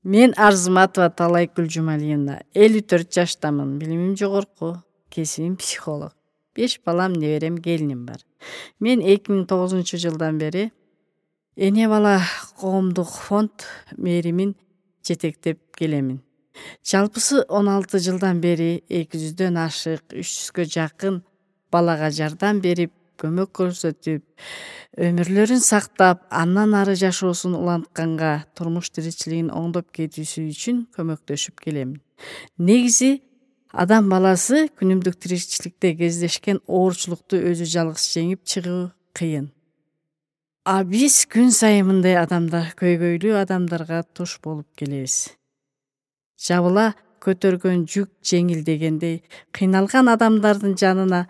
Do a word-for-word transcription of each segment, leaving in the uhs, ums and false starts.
Мен Арзыматова Талайкүл Жумалиевна, элүү төрт жаштамын. Билимим жогорку, кесибим психолог. беш балам, неберем, келиним бар. Мен эки миң тогузунчу жылдан бери эне бала коомдук фонд мэримин жетектеп келемин. Жалпысы он алты жылдан бери эки жүздөн ашык, үч жүзгө жакын балага жардам берип, көмөк көрсөтүп, өмүрлөрүн сактап, андан ары жашоосун улантканга, турмуш тиричилигин оңдоп кетүүсү үчүн көмөктөшүп келемин. Негизи адам баласы күнүмдүк тиричиликте кездешкен оорчулукту өзү жалгыз жеңип чыгуу кыйын. А биз күн сайын мындай адамдар, көйгөйлүү адамдарга туш болуп келебиз. Жабыла көтөргөн жүк жеңил дегендей, кыйналган адамдардын жанына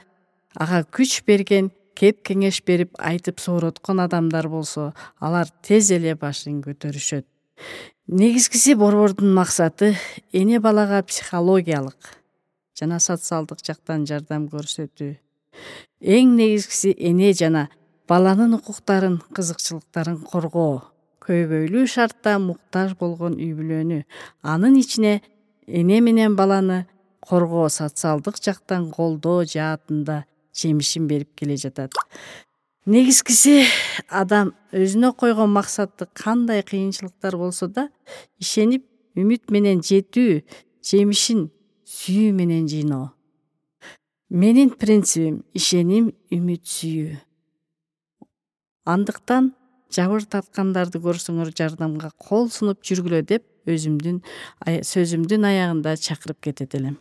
ага күч берген, кеп кеңеш берип, айтып соороткон адамдар болсо, алар тез эле башын көтөрүшөт. Негизгиси борбордун максаты эне балага психологиялык жана социалдык жактан жардам көрсөтүү. Эң негизгиси эне жана баланын укуктарын, кызыкчылыктарын коргоо. Көйгөйлүү шартта муктаж болгон үй бүлөнү, анын ичине эне менен баланы коргоо социалдык жактан колдоо жаатында жемишин берип келе жатат. Негизгиси адам өзүнө койгон максаты кандай кыйынчылыктар болсо да ишенип, үмүт менен жетүү, жемишин сүйүү менен жыйноо. Менин принцибим ишеним, үмүт, сүйүү. Андыктан жабыр тарткандарды көрсөңөр жардамга кол сунуп жүргүлө деп өзүмдүн сөзүмдүн аягында чакырып кетет элем.